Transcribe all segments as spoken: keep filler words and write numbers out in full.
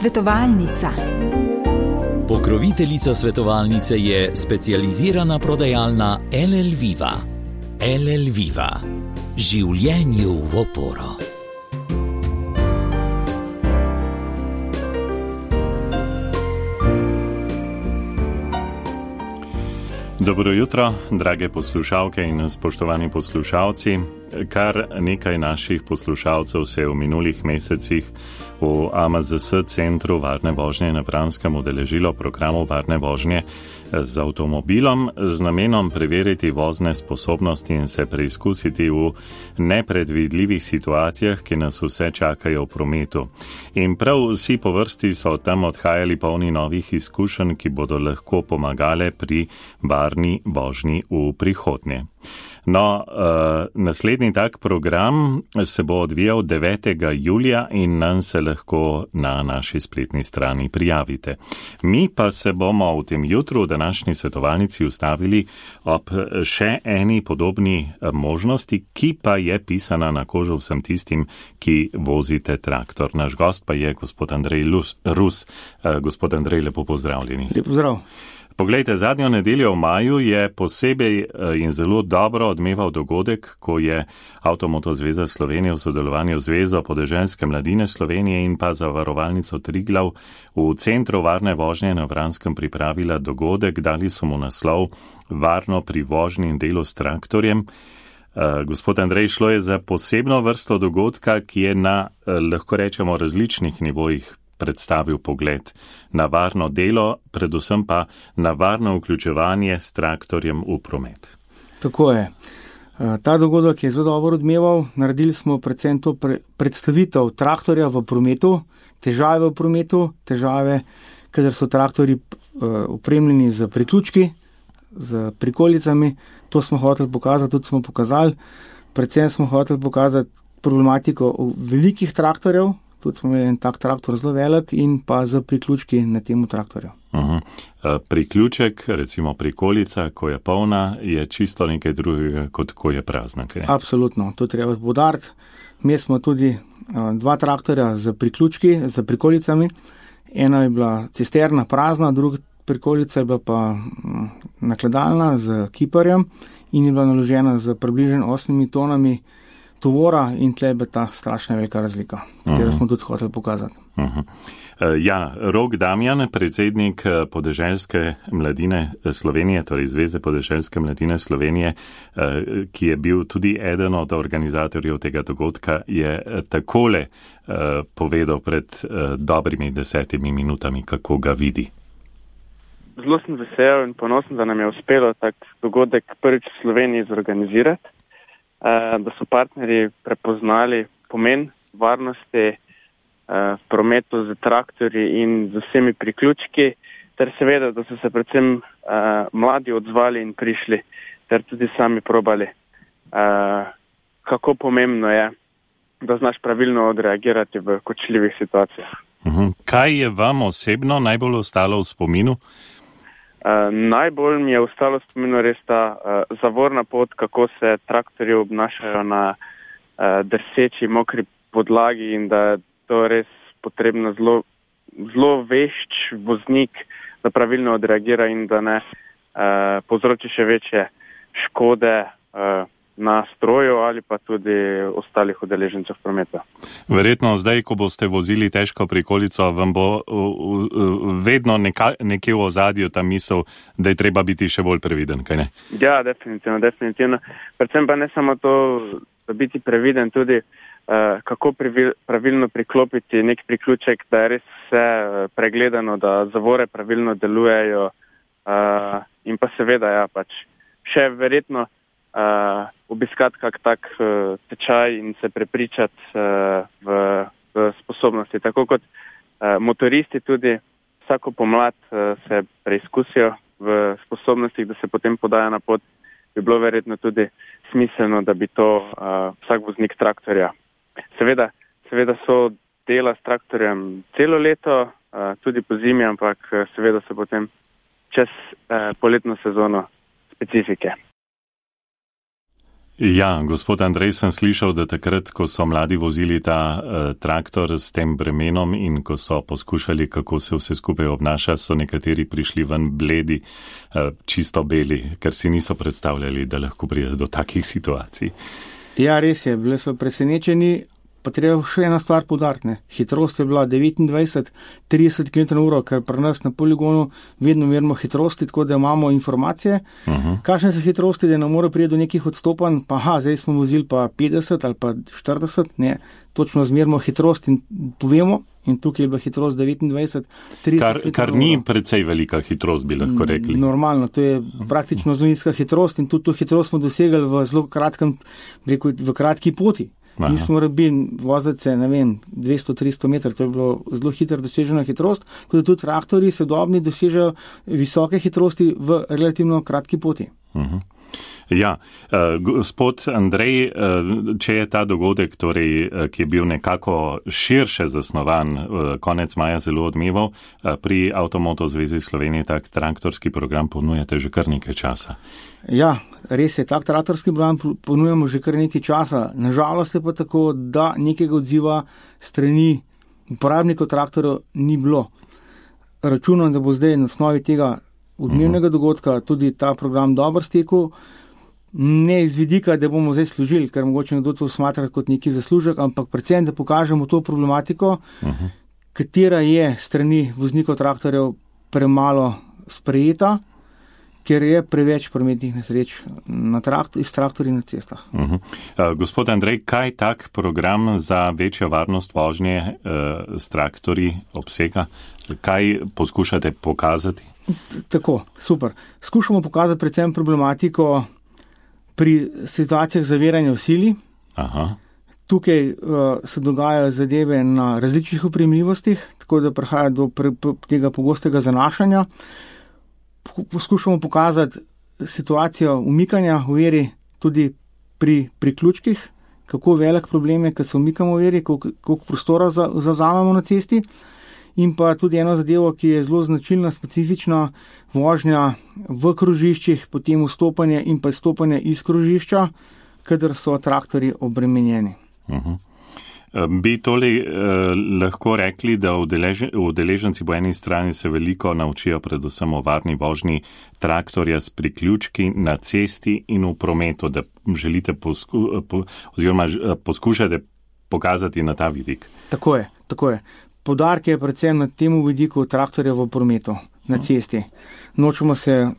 Svetovalnica. Pokroviteljica svetovalnice je specializirana prodajalna L L Viva. L L Viva. Življenju v oporo. Dobro jutro, drage poslušalke in spoštovani poslušalci. Kar nekaj naših poslušalcev se je v minulih mesecih v A M Z S centru varne vožnje na Vranskem udeležilo programu varne vožnje z avtomobilom z namenom preveriti vozne sposobnosti in se preizkusiti v nepredvidljivih situacijah, ki nas vse čakajo v prometu. In prav vsi po vrsti so tam odhajali polni novih izkušenj, ki bodo lahko pomagale pri varni vožnji v prihodnje. No, uh, naslednji tak program se bo odvijal devetega julija in nam se lahko na naši spletni strani prijavite. Mi pa se bomo v tem jutru v današnji svetovalnici ustavili ob še eni podobni možnosti, ki pa je pisana na kožo vsem tistim, ki vozite traktor. Naš gost pa je gospod Andrej Rus. Uh, gospod Andrej, lepo pozdravljeni. Lep pozdrav. Poglejte, zadnjo nedeljo v maju je posebej in zelo dobro odmeval dogodek, ko je Avtomoto zveza Slovenije v sodelovanju z Zvezo podeželske mladine Slovenije in pa zavarovalnico Triglav v centru varne vožnje na Vranskem pripravila dogodek, dali so mu naslov Varno pri vožnji in delu s traktorjem. Uh, gospod Andrej, šlo je za posebno vrsto dogodka, ki je na, uh, lahko rečemo, različnih nivojih predstavil pogled na varno delo, predvsem pa na varno vključevanje s traktorjem v promet. Tako je. Ta dogodek je zelo dobro odmeval. Naredili smo predvsem to predstavitev traktorja v prometu, težave v prometu, težave, kadar so traktori opremljeni z priključki, z prikolicami. To smo hoteli pokazati, tudi smo pokazali. Predvsem smo hoteli pokazati problematiko velikih traktorjev, tudi smo imeli en tak traktor zelo velik in pa z priključki na temu traktorju. Uh-huh. Priključek, recimo prikolica, ko je polna, je čisto nekaj drugega, kot ko je prazna. Kaj? Absolutno, to treba poudariti. Mi smo tudi dva traktorja z priključki, z prikolicami. Ena je bila cisterna prazna, druga prikolica je bila pa nakladalna z kiparjem in je bila naložena z približno osmimi tonami tovora in tle je ta strašna velika razlika, katero uh-huh. smo tudi hoteli pokazati. Uh-huh. Ja, Rok Damjan, predsednik podeželske mladine Slovenije, torej Zveze podeželske mladine Slovenije, ki je bil tudi eden od organizatorjev tega dogodka, je takole povedal pred dobrimi desetimi minutami, kako ga vidi. Zelo sem vesel in ponosen, da nam je uspelo tak dogodek prvič v Sloveniji zorganizirati, da so partnerji prepoznali pomen varnosti v prometu z traktorji in z vsemi priključki, ter seveda, da so se predvsem mladi odzvali in prišli, ter tudi sami probali, kako pomembno je, da znaš pravilno odreagirati v kočljivih situacijah. Kaj je vam osebno najbolj ostalo v spominu? Uh, najbolj mi je ostalo v spominu res ta uh, zavorna pot, kako se traktorji obnašajo na uh, drseči, mokri podlagi in da je to res potrebno zelo, zelo vešč voznik, da pravilno odreagira in da ne uh, povzroči še večje škode uh, na stroju ali pa tudi ostalih udeležencev prometa. Verjetno zdaj, ko boste vozili težko prikolico, vam bo uh, uh, vedno neka, nekje v ozadju ta misel, da je treba biti še bolj previden, kaj ne? Ja, definitivno, definitivno. Predvsem pa ne samo to, da biti previden, tudi uh, kako privil, pravilno priklopiti nek priključek, da je res vse uh, pregledano, da zavore pravilno delujejo uh, in pa seveda, ja, pač še verjetno Uh, obiskati kak tak uh, tečaj in se prepričati uh, v, v sposobnosti. Tako kot uh, motoristi tudi vsako pomlad uh, se preizkusijo v sposobnostih, da se potem podajo na pot, bi bilo verjetno tudi smiselno, da bi to uh, vsak voznik traktorja. Seveda, seveda so dela s traktorjem celo leto, uh, tudi po zimi, ampak uh, seveda so potem čez uh, poletno sezono specifike. Ja, gospod Andrej, sem slišal, da takrat, ko so mladi vozili ta uh, traktor s tem bremenom in ko so poskušali, kako se vse skupaj obnaša, so nekateri prišli ven bledi, uh, čisto beli, ker si niso predstavljali, da lahko pride do takih situacij. Ja, res je, bili so presenečeni, pa treba še ena stvar poudariti. Hitrost je bila devetindvajset trideset kilometrov na uro, ker pri nas na poligonu vedno merimo hitrosti, tako da imamo informacije. Uh-huh. Kakšne so hitrosti, da ne more priti do nekih odstopanj, pa ha, zdaj smo vozili pa petdeset ali pa štirideset, ne, točno zmerimo hitrost in povemo, in tukaj je bila hitrost devetindvajset trideset. Kar, kar ni precej velika hitrost, bi lahko rekli. Normalno, to je praktično zelo nizka hitrost in tudi to hitrost smo dosegli v zelo kratkem, rekel, v kratki poti. Aha. Nismo rabili voziti se, ne vem, dvesto tristo metrov, to je bilo zelo hitro dosežena hitrost, tudi tudi traktori sodobni dosežejo visoke hitrosti v relativno kratki poti. Uh-huh. Ja, uh, gospod Andrej, uh, če je ta dogodek, torej, uh, ki je bil nekako širše zasnovan, uh, konec maja zelo odmeval, uh, pri Avtomoto zvezi Slovenije tak traktorski program ponujate že kar nekaj časa. Ja, res je, tak traktorski program ponujamo že kar nekaj časa. Nažalost je pa tako, da nekega odziva strani uporabnikov traktorov ni bilo. Računam, da bo zdaj na osnovi tega odmevnega dogodka tudi ta program dobro stekel. Ne iz vidika, da bomo zdaj služili, ker mogoče nekdo to smatra kot neki zaslužek, ampak predvsem, da pokažemo to problematiko, uh-huh. katera je strani voznikov traktorjev premalo sprejeta, ker je preveč prometnih nesreč na traktor, iz traktorji na cestah. Uh-huh. Uh, gospod Andrej, kaj tak program za večjo varnost vožnje uh, s traktorji obsega? Kaj poskušate pokazati? T- tako, super. Skušamo pokazati predvsem problematiko pri situacijah zaviranja v sili. Aha. Tukaj uh, se dogajajo zadeve na različnih opremljivostih, tako da prihaja do pre, pre, tega pogostega zanašanja. Poskušamo pokazati situacijo umikanja v veri tudi pri priključkih, kako velik problem je, kad se umikamo v veri, koliko, koliko prostora zazamemo na cesti. In pa tudi eno zadevo, ki je zelo značilna, specifična vožnja v krožiščih, potem vstopanje in pa izstopanje iz krožišča, kadar so traktorji obremenjeni. Uh-huh. Bi tole eh, lahko rekli, da udeleženci po eni strani se veliko naučijo predvsem o varni vožnji traktorja s priključki na cesti in v prometu, da želite posku, po, oziroma poskušate pokazati na ta vidik. Tako je, tako je. Poudarek je predvsem na temu vidiku traktorja v prometu, na cesti. Nočemo se,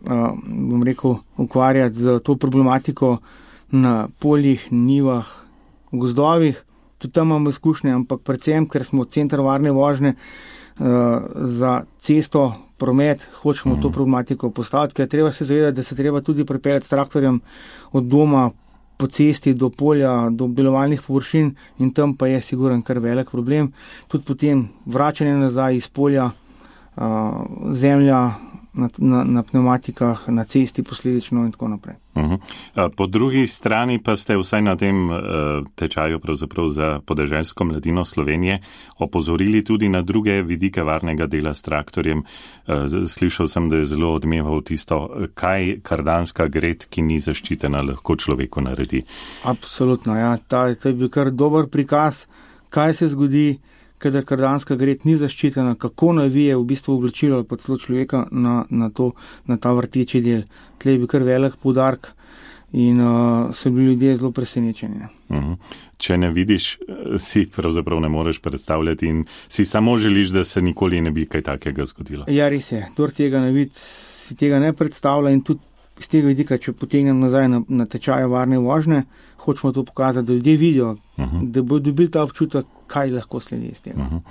bom rekel, ukvarjati z to problematiko na poljih, nivah, v gozdovih. Tudi tam imamo izkušnje, ampak predvsem, ker smo center varne vožnje za cesto, promet, hočemo to problematiko postaviti, ker treba se zavedati, da se treba tudi pripeljati s traktorjem od doma po cesti do polja, do obdelovalnih površin in tam pa je siguren kar velik problem. Tudi potem vračanje nazaj iz polja, zemlja na, na, na pneumatikah, na cesti posledično in tako naprej. Uh-huh. Po drugi strani pa ste vsaj na tem uh, tečaju pravzaprav za podeželsko mladino Slovenije opozorili tudi na druge vidike varnega dela s traktorjem. Uh, slišal sem, da je zelo odmeval tisto, kaj kardanska gred, ki ni zaščitena, lahko človeku naredi. Absolutno, ja. Ta, to je bil kar dober prikaz, kaj se zgodi, kadar kardanska gred ni zaščitena, kako navije v bistvu oblačilo ali pa celo človeka na, na, to, na ta vrteči del. Tle je bil kar velik poudarek in uh, so bili ljudje zelo presenečeni. Uh-huh. Če ne vidiš, si pravzaprav ne moreš predstavljati in si samo želiš, da se nikoli ne bi kaj takega zgodilo. Ja, res je. Kdor tega ne vidi, si tega ne predstavlja in tudi z tega vidika, če potegnem nazaj na, na tečaje varne vožnje, hočemo to pokazati, da ljudje vidijo, uh-huh. da bodo dobili ta občutek, kaj lahko sledi iz tega. Uh-huh.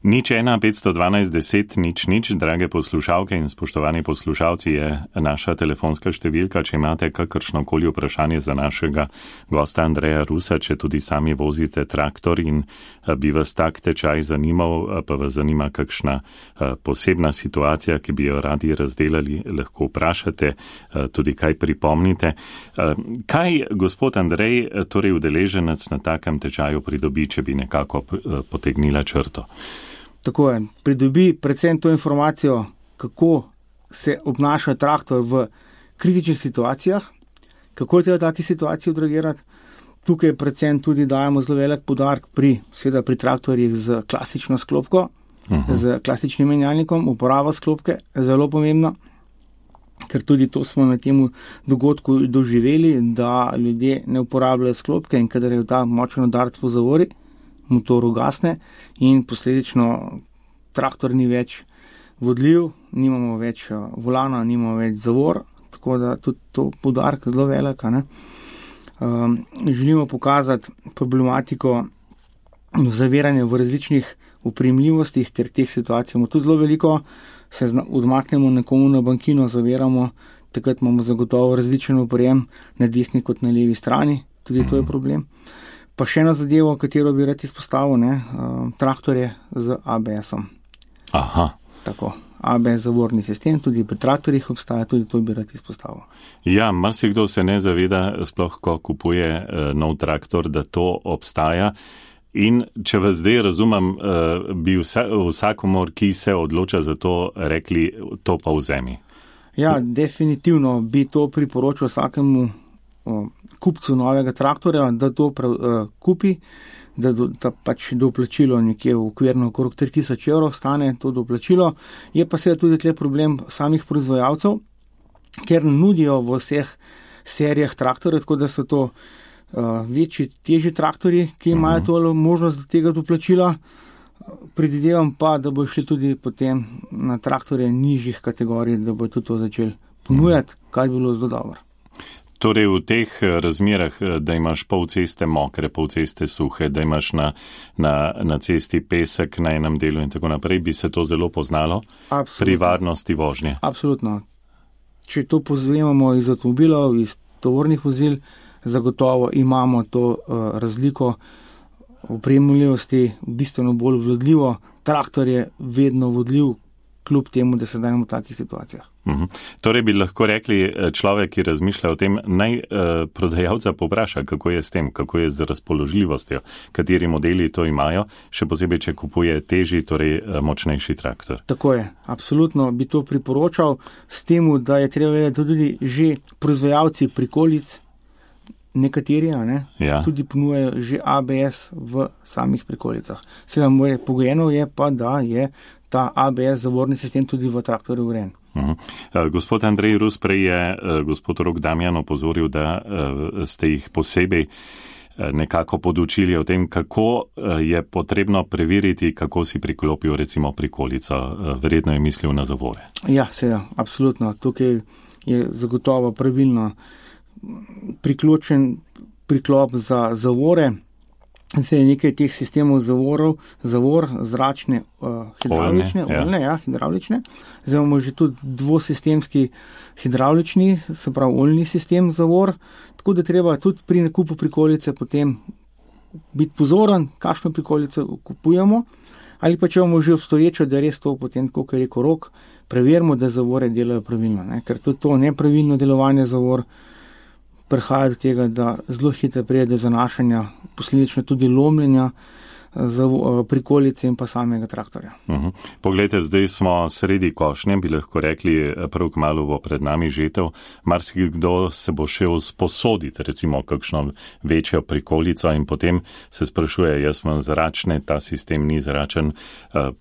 Nič ena petsto dvanajst deset nič nič, drage poslušalke in spoštovani poslušalci, je naša telefonska številka, če imate kakršnokoli vprašanje za našega gosta Andreja Rusa, če tudi sami vozite traktor in bi vas tak tečaj zanimal, pa vas zanima kakšna posebna situacija, ki bi jo radi razdelali, lahko vprašate, tudi kaj pripomnite. Kaj gospod Andrej, torej udeleženec na takem tečaju pridobi, če bi nekako potegnila črto? Tako je, pridobi predvsem to informacijo, kako se obnaša traktor v kritičnih situacijah, Kako je treba v taki situaciji odreagirati? Tukaj predvsem tudi dajemo zelo velik poudarek pri, seveda pri traktorjih z klasično sklopko, uh-huh. z klasičnim menjalnikom, uporaba sklopke je zelo pomembna, ker tudi to smo na tem dogodku doživeli, da ljudje ne uporabljajo sklopke in kadar je ta močen udarec po zavori, motor ugasne in posledično traktor ni več vodljiv, nimamo več volana, nimamo več zavor, tako da tudi to poudarek zelo velik, ne. Um, želimo pokazati problematiko zaviranja v različnih upremljivostih, ker teh situacij imamo tudi zelo veliko, se zna, odmaknemo nekomu na bankino, zaviramo, takrat imamo zagotovo različen oprijem na desni kot na levi strani, tudi to je problem. Pa še ena zadeva, katero bi rad izpostavil, ne, um, traktorje z A B S-om. Aha. Tako. A B S zavorni sistem, tudi pri traktorjih obstaja, tudi to bi rad izpostavil. Ja, marsikdo se ne zaveda, sploh ko kupuje uh, nov traktor, da to obstaja. In če vas zdaj razumem, uh, bi vsa, vsakomor, ki se odloča za to, rekli, to pa vzemi. Ja, definitivno bi to priporočil vsakemu uh, kupcu novega traktorja, da to pra, uh, kupi, da, do, da pač doplačilo nekje v okvirno okrog tri tisoč evrov stane to doplačilo. Je pa seveda tudi tle problem samih proizvajalcev, ker nudijo v vseh serijah traktorjev, tako da so to uh, večji, težji traktorji, ki imajo to možnost do tega doplačila. Predvidevam pa, da bo šli tudi potem na traktorje nižjih kategorij, da bo tudi to začeli ponujati, kar bi bilo zelo dobro. Torej v teh razmerah, da imaš pol ceste mokre, pol ceste suhe, da imaš na, na, na cesti pesek na enem delu in tako naprej, bi se to zelo poznalo. Absolutno. Pri varnosti vožnje. Absolutno. Če to pozvemamo iz avtomobilov, iz tovornih vozil, zagotovo imamo to uh, razliko opremljivosti, bistveno bolj vodljivo. Traktor je vedno vodljiv, kljub temu, da se zdajmo v takih situacijah. Uhum. Torej bi lahko rekli, človek, ki razmišlja o tem, naj eh, prodajalca povpraša, kako je s tem, kako je z razpoložljivostjo, kateri modeli to imajo, še posebej, če kupuje težji, torej eh, močnejši traktor. Tako je, absolutno bi to priporočal s tem, da je treba vedeti tudi že proizvajalci prikolic, nekateri, ne, ja. Tudi ponujajo že A B S v samih prikolicah. Seveda moje pogojeno je pa, da je ta A B S zavorni sistem tudi v traktorju urejen. Uh-huh. Uh, gospod Andrej Rus, prej je uh, gospod Rok Damjan opozoril, da uh, ste jih posebej uh, nekako podučili o tem, kako uh, je potrebno preveriti, kako si priklopil recimo prikolico. Uh, verjetno je mislil na zavore. Ja, seveda, absolutno. Tukaj je zagotovo pravilno priključen priklop za zavore. Se je nekaj teh sistemov zavorov, zavor, zračne, uh, hidravlične, oljne, oljne, ja. ja, hidravlične. Zdaj imamo že tudi dvosistemski hidravlični, se pravi oljni sistem zavor, tako da treba tudi pri nakupu prikolice potem biti pozoren, kakšno prikolico kupujemo, ali pa če imamo že obstoječo, da je res to potem, kot je rekel Rok, preverimo, da zavore delajo pravilno, ne? Ker tudi to nepravilno delovanje zavor prihaja do tega, da zelo hitro pride do zanašanja, posledično tudi lomljenja prikolice in pa samega traktorja. Uh-huh. Poglejte, zdaj smo sredi košnje, bi lahko rekli, prav kmalu bo pred nami žetev. Marsikdo se bo šel sposoditi, recimo kakšno večjo prikolico in potem se sprašuje, jaz imam zračne, ta sistem ni zračen,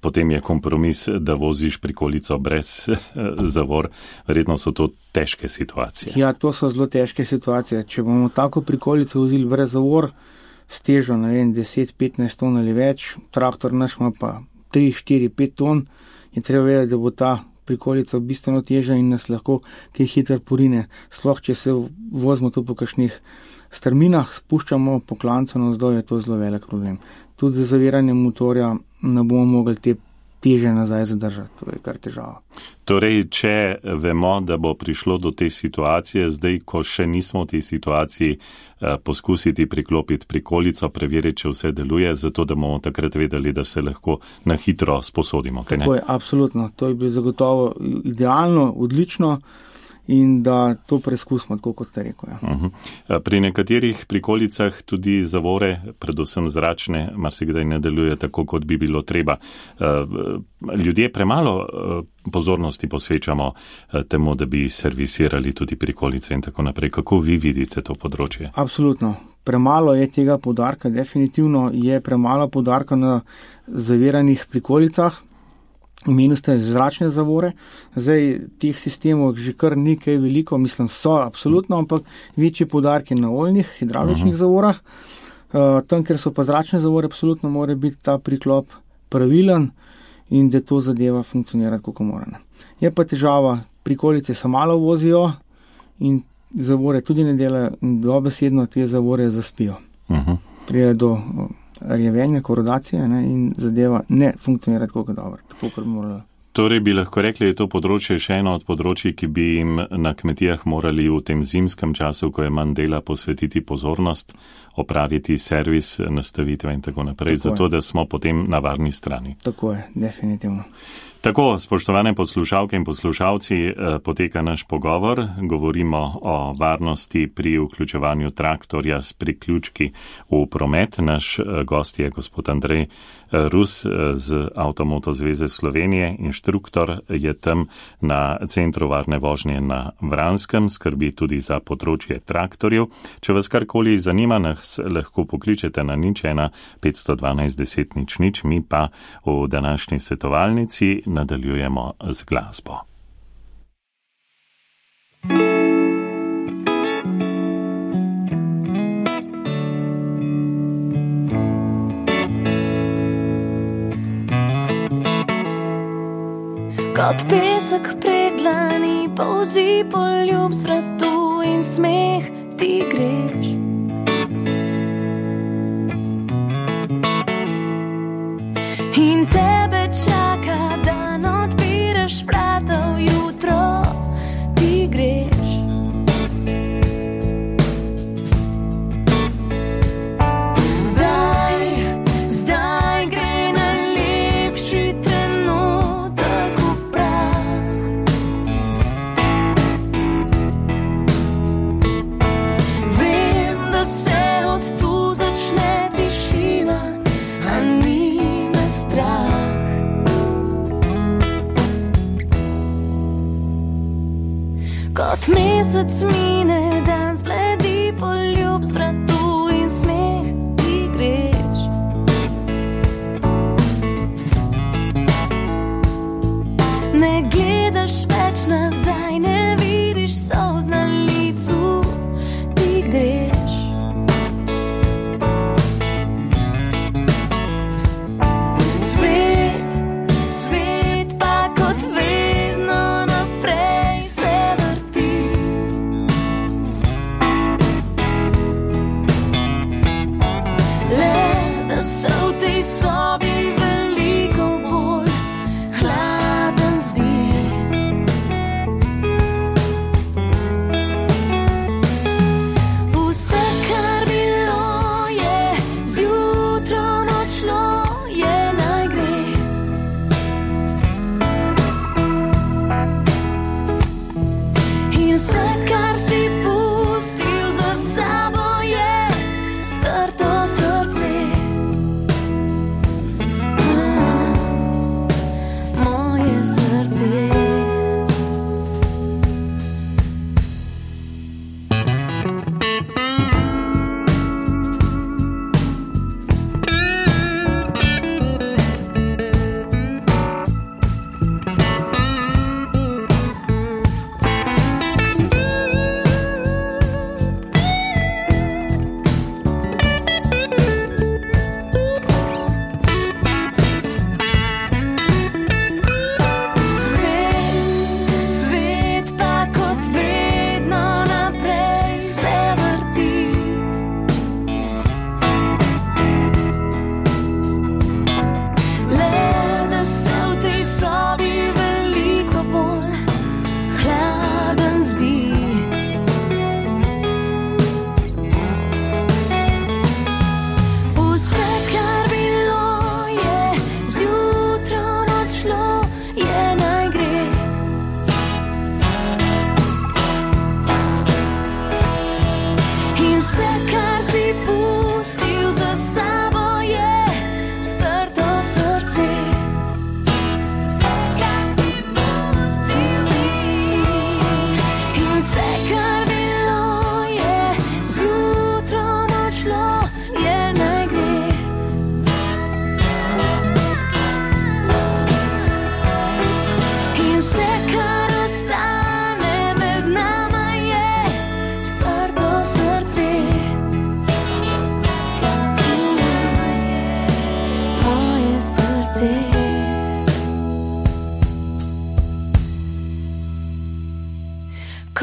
potem je kompromis, da voziš prikolico brez zavor. Verjetno so to težke situacije. Ja, to so zelo težke situacije. Če bomo tako prikolico vozili brez zavor, s težo, ne vem, deset petnajst ton ali več, traktor naš ima pa tri štiri pet ton, je treba vedeti, da bo ta prikolica bistveno teža in nas lahko kaj hitro porine. Sploh, če se vozimo tu po kakšnih strminah, spuščamo po klancu navzdol, je to zelo velik problem. Tudi za zaviranje motorja ne bomo mogli te teže nazaj zadržati, to je kar težava. Torej, če vemo, da bo prišlo do te situacije, zdaj, ko še nismo v tej situaciji, eh, poskusiti priklopiti prikolico, preveriti, če vse deluje, zato da bomo takrat vedeli, da se lahko na hitro sposodimo. Tako je, absolutno. To je bilo zagotovo idealno, odlično. in da to preizkusimo, tako kot ste rekel. Ja. Uh-huh. Pri nekaterih prikolicah tudi zavore, predvsem zračne, marsikdaj ne deluje tako, kot bi bilo treba. Ljudje premalo pozornosti posvečamo temu, da bi servisirali tudi prikolice in tako naprej. Kako vi vidite to področje? Absolutno. Premalo je tega poudarka, definitivno je premalo poudarka na zaviranih prikolicah. Omenili ste zračne zavore. Zdaj, teh sistemov že kar nekaj veliko, mislim, so absolutno, ampak večji poudarki na oljnih, hidravličnih uh-huh. zavorah. Uh, tam, ker so pa zračne zavore, absolutno mora biti ta priklop pravilen in da to zadeva funkcionira kako mora. Je pa težava, prikolice se malo vozijo in zavore tudi ne delajo in dobesedno te zavore zaspijo. Uh-huh. Prije do rjevenja, korodacije, ne, in zadeva ne funkcionira tako dobro, tako kot bi morala. Torej bi lahko rekli, je to področje še eno od področji, ki bi jim na kmetijah morali v tem zimskem času, ko je manj dela, posvetiti pozornost, opraviti servis, nastavitve in tako naprej, tako zato je. Da smo potem na varni strani. Tako je, definitivno. Tako, spoštovane poslušalke in poslušalci, poteka naš pogovor. Govorimo o varnosti pri vključevanju traktorja s priključki v promet. Naš gost je gospod Andrej Rus z Avtomoto zveze Slovenije. Inštruktor je tam na Centru varne vožnje na Vranskem, skrbi tudi za področje traktorjev. Če vas karkoli zanima, nas lahko pokličete na nič ena petsto dvanajst deset nič nič, mi pa v današnji svetovalnici nadaljujemo z glasbo. Kot pesek pred dlani polzi poljub z vratu in smeh ti greš. In tebe čaka, dan odpiraš vrata v jutro, ti greš. Zdaj, zdaj gre najlepši trenutek v prah. Vem, da se od tu začne tišina, a ni strah. Kot mesec mine, dan zbledi poljub z vratu in smeh ti greš. Ne gledaš več nazaj, ne vidiš solz na licu, ti greš.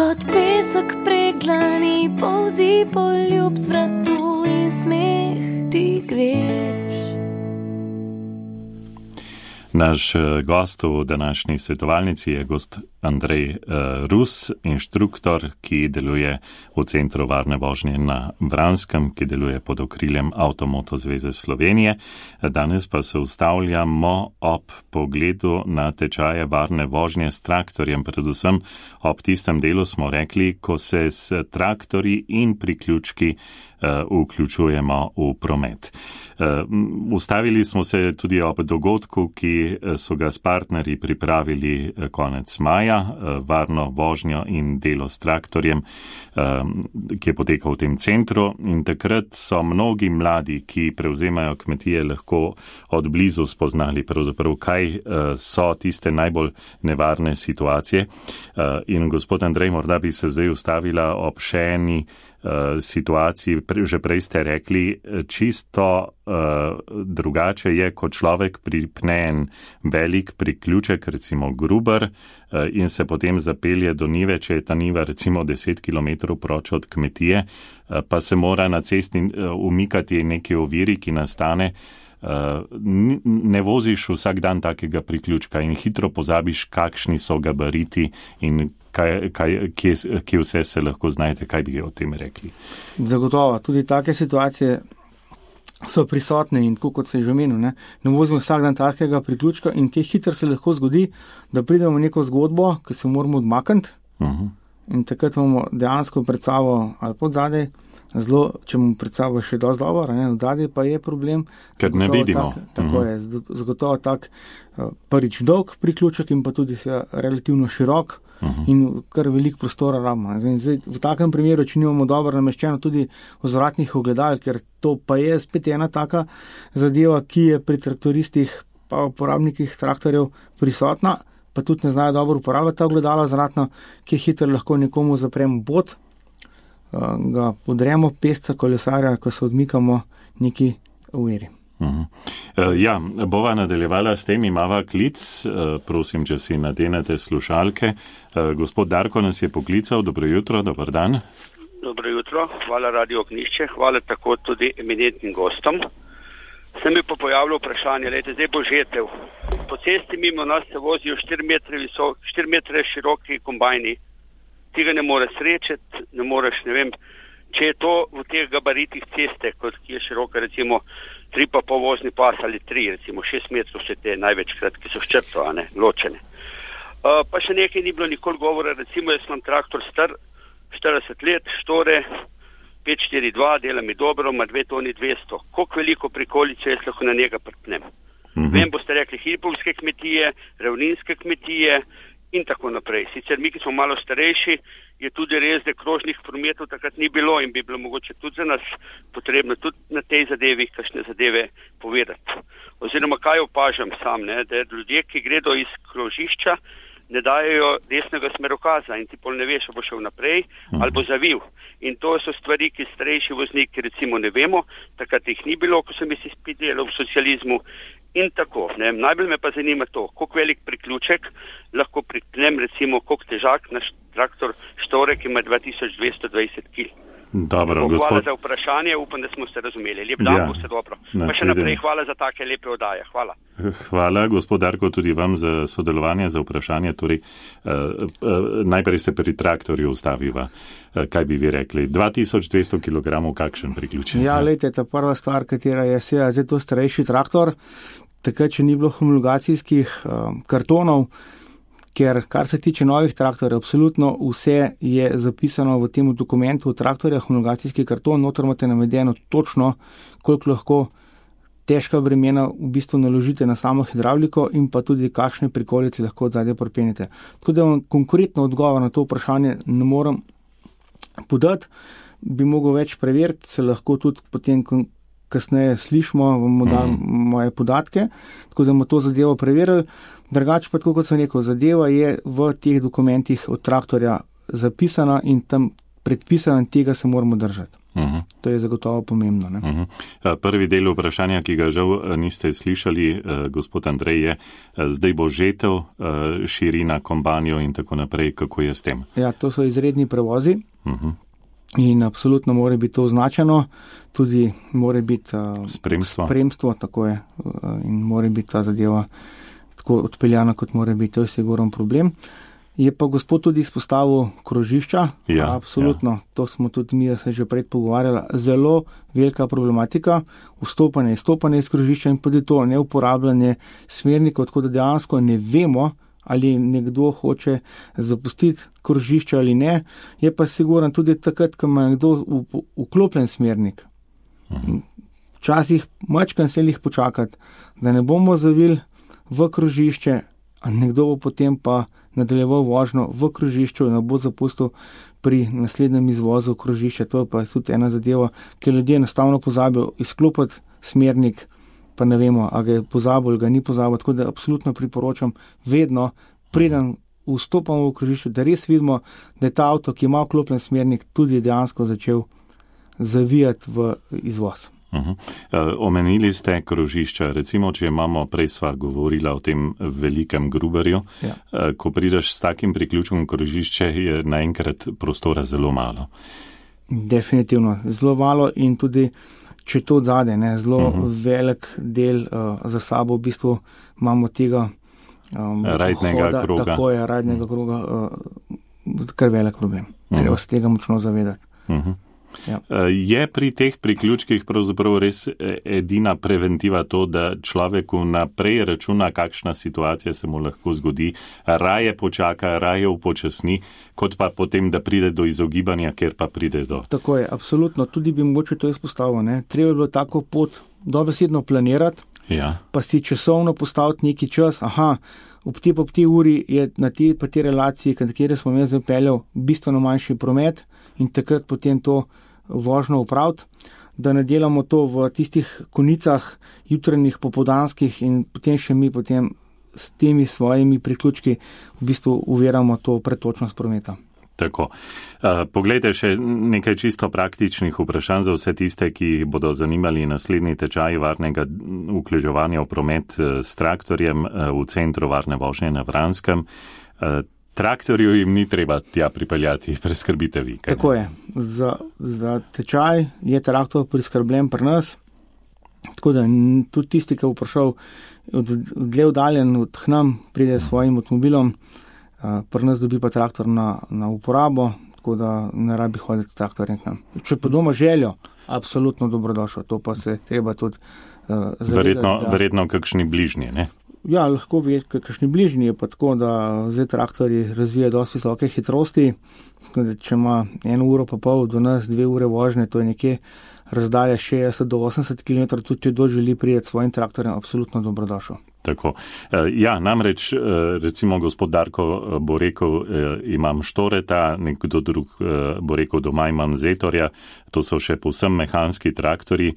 kot pesek preglani, polzi poljub z vratu in smeh ti greš. Naš gost v današnji svetovalnici je gost Andrej uh, Rus, inštruktor, ki deluje v Centru varne vožnje na Vranskem, ki deluje pod okriljem Avtomoto zveze Slovenije. Danes pa se ustavljamo ob pogledu na tečaje varne vožnje s traktorjem, predvsem ob tistem delu smo rekli, ko se s traktorji in priključki uh, vključujemo v promet. Uh, ustavili smo se tudi ob dogodku, ki so ga s partnerji pripravili konec maja, uh, varno vožnjo in delo s traktorjem, uh, ki je potekal v tem centru. In takrat so mnogi mladi, ki prevzemajo kmetije, lahko od blizu spoznali pravzaprav, kaj uh, so tiste najbolj nevarne situacije. Uh, in gospod Andrej, morda bi se zdaj ustavila ob še eni situaciji, že prej ste rekli, čisto uh, drugače je, ko človek pripne en velik priključek, recimo gruber, uh, in se potem zapelje do nive, če je ta niva recimo deset kilometrov proč od kmetije, uh, pa se mora na cesti uh, umikati neki oviri, ki nastane. Uh, ne voziš vsak dan takega priključka in hitro pozabiš, kakšni so gabariti in kaj, kaj, kje, kje vse se lahko znajde. Kaj bi o tem rekli? Zagotovo, tudi take situacije so prisotne in tako, kot se je že omenil, ne, ne vozimo vsak dan takega priključka in kaj hitro se lahko zgodi, da pridemo v neko zgodbo, ki se moramo odmakniti uh-huh. in takrat imamo dejansko pred sabo ali pod zadej, zelo, če mu pred sabo še dosti dobro, ne, od zadej pa je problem. Ker ne vidimo. Tak, tako uh-huh. je, zagotovo tak prvič dolg priključek in pa tudi se relativno širok uh-huh. in kar veliko prostora rabimo. Zdaj, v takem primeru, če nimamo dobro nameščeno tudi vzvratnih ogledal, ker to pa je spet ena taka zadeva, ki je pri traktoristih pa uporabnikih traktorjev prisotna, pa tudi ne znajo dobro uporabljati ta ogledala vzvratno, ki hitro lahko nekomu zapremo pot, ga podremo, pesca, kolesarja, ko se odmikamo neki uveri. Uh-huh. Uh, ja, bova nadaljevala s tem, imava klic, uh, prosim, če si nadenete slušalke. Uh, gospod Darko nas je poklical, dobro jutro, dober dan. Dobro jutro, hvala Radio Ognjišče, hvala tako tudi eminentnim gostom. Se mi pa pojavilo vprašanje, lejte, zdaj bo žetev. Po cesti mimo nas se vozijo štiri metre visok, štiri metre široki kombajni. Tega ne more srečati, ne moreš, ne vem, če je to v teh gabaritih ceste, kot ki je široka, recimo tri pa pol vozni pas ali tri, recimo šest metrov se te največkrat, ki so s črto, a ne, ločene. Uh, pa še nekaj ni bilo nikoli govora, recimo jaz imam traktor star, štirideset let, štore, pet štiri dva, dela mi dobro, ima dve toni dvesto. Koliko veliko prikolice jaz lahko na njega prtnem? Mm-hmm. Vem, boste rekli hipovske kmetije, ravninske kmetije, in tako naprej. Sicer mi, ki smo malo starejši, je tudi res, da krožnih prometov takrat ni bilo in bi bilo mogoče tudi za nas potrebno tudi na tej zadevi kakšne zadeve povedati. Oziroma, kaj opažam sam, ne, da ljudje, ki gredo iz krožišča, ne dajo desnega smerokaza in ti pol ne veš, bo šel naprej ali bo zavil. In to so stvari, ki starejši vozniki recimo ne vemo, takrat jih ni bilo, ko sem jaz izpit delal v socializmu. In tako, ne, najbolj me pa zanima to, koliko velik priključek lahko priknem, recimo, koliko težak naš traktor štore, ki ima dva tisoč dvesto dvajset kilogramov. Dobro, hvala gospod... za vprašanje, upam, da smo se razumeli. Lep dan, ja, bo se dobro. Pa še naprej hvala za take lepe oddaje. Hvala. Hvala, gospod Darko, tudi vam za sodelovanje, za vprašanje. Torej, uh, uh, najprej se pri traktorju ustaviva. Uh, kaj bi vi rekli? dva tisoč dvesto kilogramov, kakšen priključek? Ja, lejte, ta prva stvar, katera je seveda zdaj to starejši traktor, takrat, če ni bilo homologacijskih uh, kartonov, ker kar se tiče novih traktorjev, absolutno vse je zapisano v tem dokumentu traktorja, homologacijski karton, noter imate navedeno točno, koliko lahko težka bremena v bistvu naložite na samo hidravliko in pa tudi kakšne prikolice lahko od zadaj pripenjete. Tako da vam konkretno odgovor na to vprašanje ne morem podati, bi mogel več preveriti, se lahko tudi potem kasneje slišimo, vam dam mm. moje podatke, tako da bomo to zadevo preverili. Drugače pa, tako kot sem rekel, zadeva je v teh dokumentih od traktorja zapisana in tam predpisana in tega se moramo držati. Uh-huh. To je zagotovo pomembno. Ne? Uh-huh. Prvi del vprašanja, ki ga žal niste slišali, gospod Andrej, je, zdaj bo žetev, širina, kombanjo in tako naprej. Kako je s tem? Ja, to so izredni prevozi. Uh-huh. In absolutno mora biti to označeno, tudi mora biti uh, spremstvo. spremstvo, tako je, uh, in mora biti ta zadeva tako odpeljana, kot mora biti, to je sigurno problem. Je pa gospod tudi izpostavil krožišča, ja, absolutno, ja. To smo tudi mi, da se že pred pogovarjali, zelo velika problematika, vstopanje, izstopanje iz krožišča in tudi to neuporabljanje smernikov, tako da dejansko ne vemo, ali nekdo hoče zapustiti krožišče ali ne, je pa sigurno tudi takrat, ko ima nekdo vklopljen smernik. Včasih mačkan se jih počakati, da ne bomo zavili v krožišče, a nekdo bo potem pa nadaljeval vožnjo v krožišču in ne bo zapustil pri naslednjem izvozu krožišča. To je pa tudi ena zadeva, ker ljudje enostavno pozabijo izklopiti smernik, pa ne vemo, a ga je pozabil ali ga ni pozabil, tako da absolutno priporočam vedno, preden vstopamo v krožišče, da res vidimo, da je ta avto, ki ima vklopljen smernik, tudi dejansko začel zavijati v izvoz. Uh-huh. Uh, omenili ste krožišča, recimo, če imamo, prej sva govorila o tem velikem Gruberju, ja. uh, ko prideš s takim priključkom krožišče, je naenkrat prostora zelo malo. Definitivno, zelo malo in tudi če to odzade, ne, zelo uh-huh. velik del uh, za sabo, v bistvu imamo tega um, rajdnega hoda, kroga. Tako je, rajdnega uh-huh. kroga, uh, kar velik problem. Uh-huh. Treba se tega močno zavedati. Uh-huh. Ja. Je pri teh priključkih pravzaprav res edina preventiva to, da človeku naprej računa, kakšna situacija se mu lahko zgodi, raje počaka, raje upočasni, kot pa potem, da pride do izogibanja, ker pa pride do. Tako je, absolutno. Tudi bi mogoče to izpostavil. Ne? Treba je bilo tako pot dobesedno planirati, ja. pa si časovno postaviti neki čas. Aha, ob te pa ob te uri je na te pa te relaciji, na katere smo jaz zapeljal, bistveno manjši promet in takrat potem to vožnjo upraviti, da ne delamo to v tistih konicah jutranjih, popoldanskih in potem še mi potem s temi svojimi priključki v bistvu uveramo to pretočnost prometa. Tako. Uh, poglejte še nekaj čisto praktičnih vprašanj za vse tiste, ki bodo zanimali naslednji tečaj varnega vključevanja v promet s traktorjem v centru varne vožnje na Vranskem. Uh, Traktorju jim ni treba tja pripeljati, preskrbite vi. Kaj Tako je. Za, za tečaj je traktor priskrbljen pri nas, tako da tudi tisti, ki bo prišel od, dlje oddaljen od nam, pride s svojim avtomobilom, pri nas dobi pa traktor na, na uporabo, tako da ne rabi hoditi s traktorjem k nam. Če pa doma željo, absolutno dobrodošlo, to pa se treba tudi uh, zavedati. Verjetno, da... verjetno kakšni bližnji, ne? Ja, lahko bi, kakšni bližnji je pa tako, da zdaj traktori razvijajo dosti visoke hitrosti, da če ima eno uro pa pol do nas, dve ure vožnje, to je nekje razdalja šestdeset do osemdeset kilometrov, tudi če kdo želi priti s svojim traktorjem, absolutno dobrodošel. Tako. Ja, namreč, recimo gospod Darko bo rekel, imam Štoreta, nekdo drug bo rekel, doma imam Zetorja, to so še povsem mehanski traktori.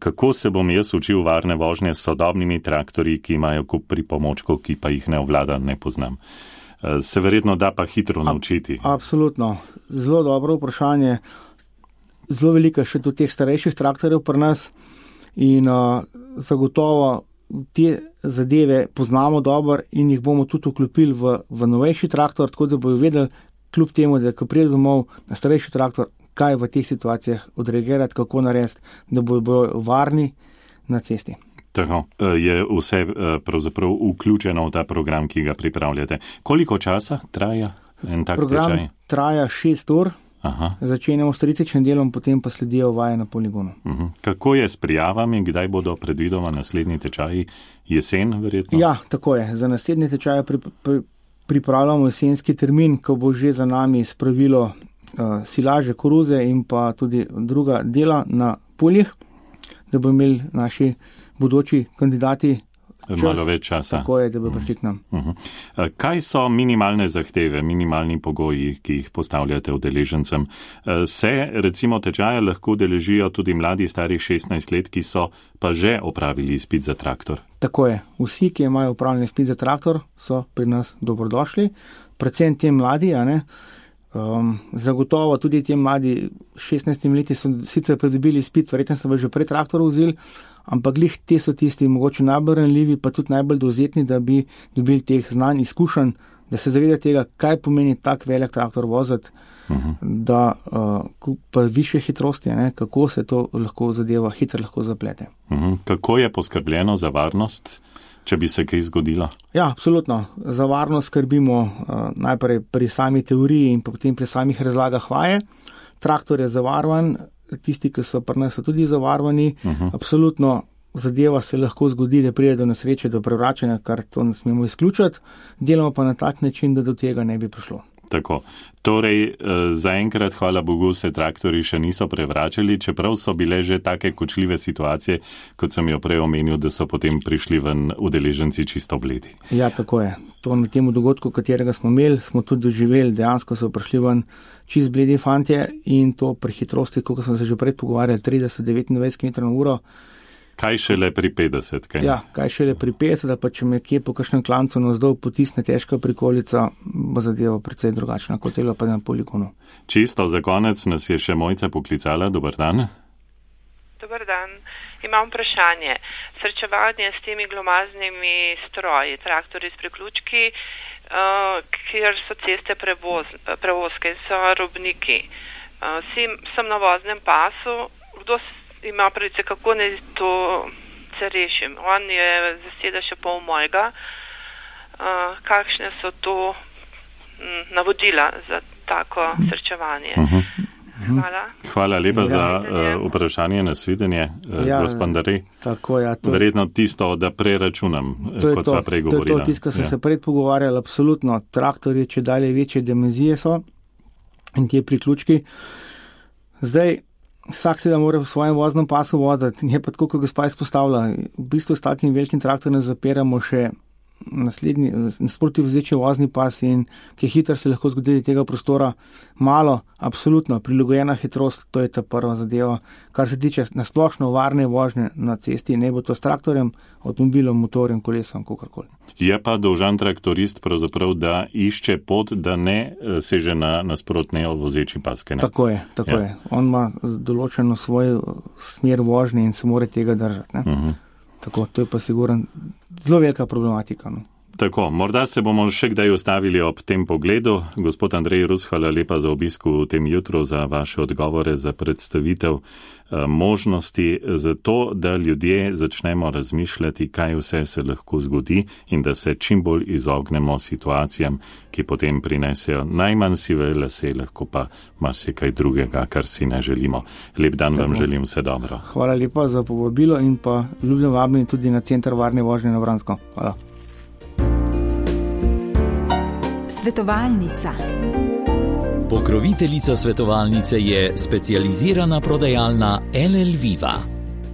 Kako se bom jaz učil varne vožnje s sodobnimi traktorji, ki imajo kup pripomočkov, ki pa jih ne obvladam, ne poznam? Se verjetno da pa hitro naučiti. Absolutno. Zelo dobro vprašanje. Zelo veliko še do teh starejših traktorjev pri nas in uh, zagotovo te zadeve poznamo dobro in jih bomo tudi vklopili v, v novejši traktor, tako da bojo vedeli, kljub temu, da ko pride domov na starejši traktor, kaj v teh situacijah odreagirati, kako narediti, da bojo, bojo varni na cesti. Tako, je vse pravzaprav vključeno v ta program, ki ga pripravljate. Koliko časa traja en tak program tečaj? Program traja šest ur. Aha. Začenjamo s teoretičnim delom, potem pa sledijo vaje na poligonu. Uh-huh. Kako je s prijavami, kdaj bodo predvidoma naslednji tečaji? Jesen, verjetno? Ja, tako je. Za naslednji tečaj pri, pri, pripravljamo jesenski termin, ko bo že za nami spravilo uh, silaže, koruze in pa tudi druga dela na poljih, da bo imeli naši bodoči kandidati čas, malo več časa. Tako je, da bo prišli k nam. Uh-huh. Kaj so minimalne zahteve, minimalni pogoji, ki jih postavljate udeležencem? Se recimo tečaja lahko udeležijo tudi mladi stari šestnajst let, ki so pa že opravili izpit za traktor? Tako je. Vsi, ki imajo opravljen izpit za traktor, so pri nas dobrodošli. Predvsem ti mladi, a ne? Um, zagotovo tudi ti mladi šestnajstimi leti so sicer pridobili izpit, verjetno so že pred traktor vzeli, ampak glih te so tisti mogoče najbolj ranljivi, pa tudi najbolj dovzetni, da bi dobili teh znanj, izkušenj, da se zaveda tega, kaj pomeni tak velik traktor voziti, uh-huh. da uh, pa više hitrosti, ne, kako se to lahko zadeva, hitro lahko zaplete. Uh-huh. Kako je poskrbljeno za varnost, če bi se kaj zgodilo? Ja, absolutno. Za varnost skrbimo uh, najprej pri sami teoriji in potem pri samih razlagah vaje. Traktor je zavarovan, tisti, ki so pri nas, so tudi zavarovani. Uh-huh. Absolutno zadeva se lahko zgodi, da pride do nesreče, do prevračanja, kar to ne smemo izključiti. Delamo pa na tak način, da do tega ne bi prišlo. Tako. Torej, zaenkrat, hvala Bogu, se traktori še niso prevračali, čeprav so bile že take kočljive situacije, kot sem jo prej omenil, da so potem prišli ven udeleženci čisto bledi. Ja, tako je. To na tem dogodku, katerega smo imeli, smo tudi doživeli, dejansko so prišli ven čist bledi fantje in to pri hitrosti, kot sem se že prej pogovarjal, trideset do devetindvajset kilometrov na uro. Kaj šele pri petdeset? Kaj? Ja, kaj šele pri petdeset, pa če me kje po kakšnem klancu navzdol potisne težka prikolica, bo zadeva precej drugačna, kot je pa na poligonu. Čisto za konec nas je še Mojca poklicala. Dobar dan. Dobar dan. Imam vprašanje. Srečevanje s temi glomaznimi stroji, traktori s priključki, uh, kjer so ceste prevoz, prevozke, so robniki. Uh, sim, sem na voznem pasu, kdo ima pravice, kako ne to se rešim. On je zaseda še pol mojega. Uh, kakšne so to m, navodila za tako srečevanje? Uh-huh. Hvala. Hvala lepa ja. za uh, vprašanje, nasvidenje, uh, ja, gospod Andrej. Tako, ja, to... Verjetno tisto, da preračunam, kot sva prej govorila. To je to, tisto, kar sem ja. se prej pogovarjal, absolutno. Traktorji, če dalje večje dimenzije so in tie priključki. Zdaj, vsak se da mora v svojem voznem pasu voziti. Je pa tako, kot gospa izpostavlja. V bistvu s takim velikim traktorjem zapiramo še naslednji, nasproti vozeči vozni pas in ki hitro se lahko zgodi tega prostora malo, absolutno, prilagojena hitrost, to je ta prva zadeva. Kar se tiče nasplošno varne vožnje na cesti, ne bo to s traktorjem, avtomobilom, motorjem, kolesom, kakorkoli. Je pa dolžan traktorist pravzaprav, da išče pot, da ne seže na nasprotne vozeči paske. Ne? Tako je, tako ja. je. On ima določeno svojo smer vožnje in se mora tega držati. Ne? Uh-huh. Tako, to je pa sigurno zelo velika problematika. No. Tako, morda se bomo še kdaj ustavili ob tem pogledu. Gospod Andrej Rus, hvala lepa za obisk v tem jutru, za vaše odgovore, za predstavitev eh, možnosti, za to, da ljudje začnemo razmišljati, kaj vse se lahko zgodi in da se čim bolj izognemo situacijam, ki potem prinesejo najmanj sive lase, lahko pa marsikaj drugega, kar si ne želimo. Lep dan Tako. Vam želim, vse dobro. Hvala lepa za povabilo in pa ljubim vabljeni tudi na Center varne vožnje na Vransko. Hvala. Svetovalnica. Pokroviteljica svetovalnice je specializirana prodajalna L L Viva.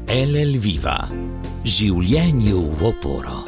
L L Viva. Življenju v oporo.